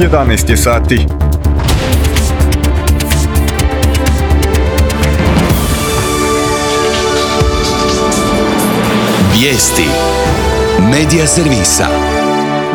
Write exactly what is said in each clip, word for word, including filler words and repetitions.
jedanaest je sati. Vijesti Medija servisa.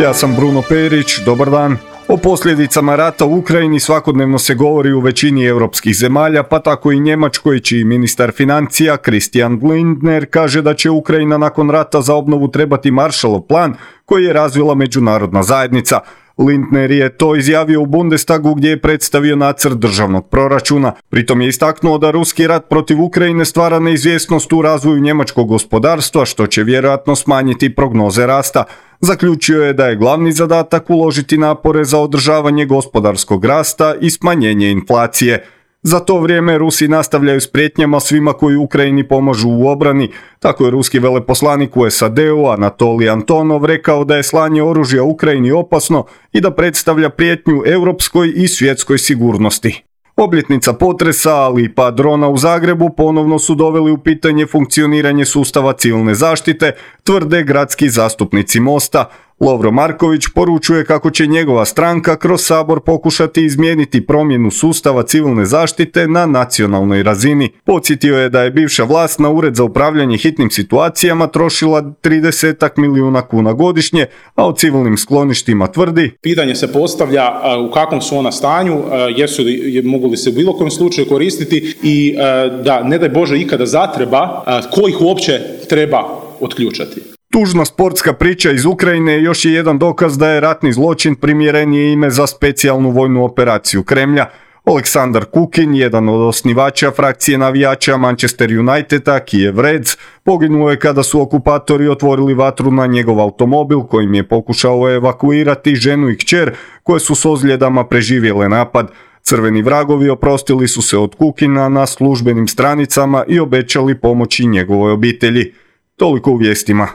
Ja sam Bruno Perić, dobar dan. O posljedicama rata u Ukrajini svakodnevno se govori u većini europskih zemalja, pa tako i Njemačkoj, čiji ministar financija Christian Lindner kaže da će Ukrajina nakon rata za obnovu trebati Marshallov plan koji je razvila međunarodna zajednica. Lindner je to izjavio u Bundestagu gdje je predstavio nacrt državnog proračuna. Pritom je istaknuo da ruski rat protiv Ukrajine stvara neizvjesnost u razvoju njemačkog gospodarstva, što će vjerojatno smanjiti prognoze rasta. Zaključio je da je glavni zadatak uložiti napore za održavanje gospodarskog rasta i smanjenje inflacije. Za to vrijeme Rusi nastavljaju s prijetnjama svima koji Ukrajini pomažu u obrani. Tako je ruski veleposlanik u S A D-u Anatolij Antonov rekao da je slanje oružja Ukrajini opasno i da predstavlja prijetnju europskoj i svjetskoj sigurnosti. Obljetnica potresa, ali i pad drona u Zagrebu ponovno su doveli u pitanje funkcioniranje sustava civilne zaštite, tvrde gradski zastupnici Mosta. Lovro Marković poručuje kako će njegova stranka kroz Sabor pokušati izmijeniti promjenu sustava civilne zaštite na nacionalnoj razini. Podsjetio je da je bivša vlast na Ured za upravljanje hitnim situacijama trošila trideset milijuna kuna godišnje, a o civilnim skloništima tvrdi: pitanje se postavlja u kakvom su ona stanju, jesu li, mogu li se u bilo kojem slučaju koristiti i da ne daj Bože ikada zatreba, ko ih uopće treba otključati. Tužna sportska priča iz Ukrajine još je jedan dokaz da je ratni zločin primjerenije ime za specijalnu vojnu operaciju Kremlja. Aleksandar Kukin, jedan od osnivača frakcije navijača Manchester Uniteda, Kiev Reds, poginuo je kada su okupatori otvorili vatru na njegov automobil kojim je pokušao evakuirati ženu i kćer koje su s ozljedama preživjele napad. Crveni vragovi oprostili su se od Kukina na službenim stranicama i obećali pomoći njegovoj obitelji. Toliko u vijestima.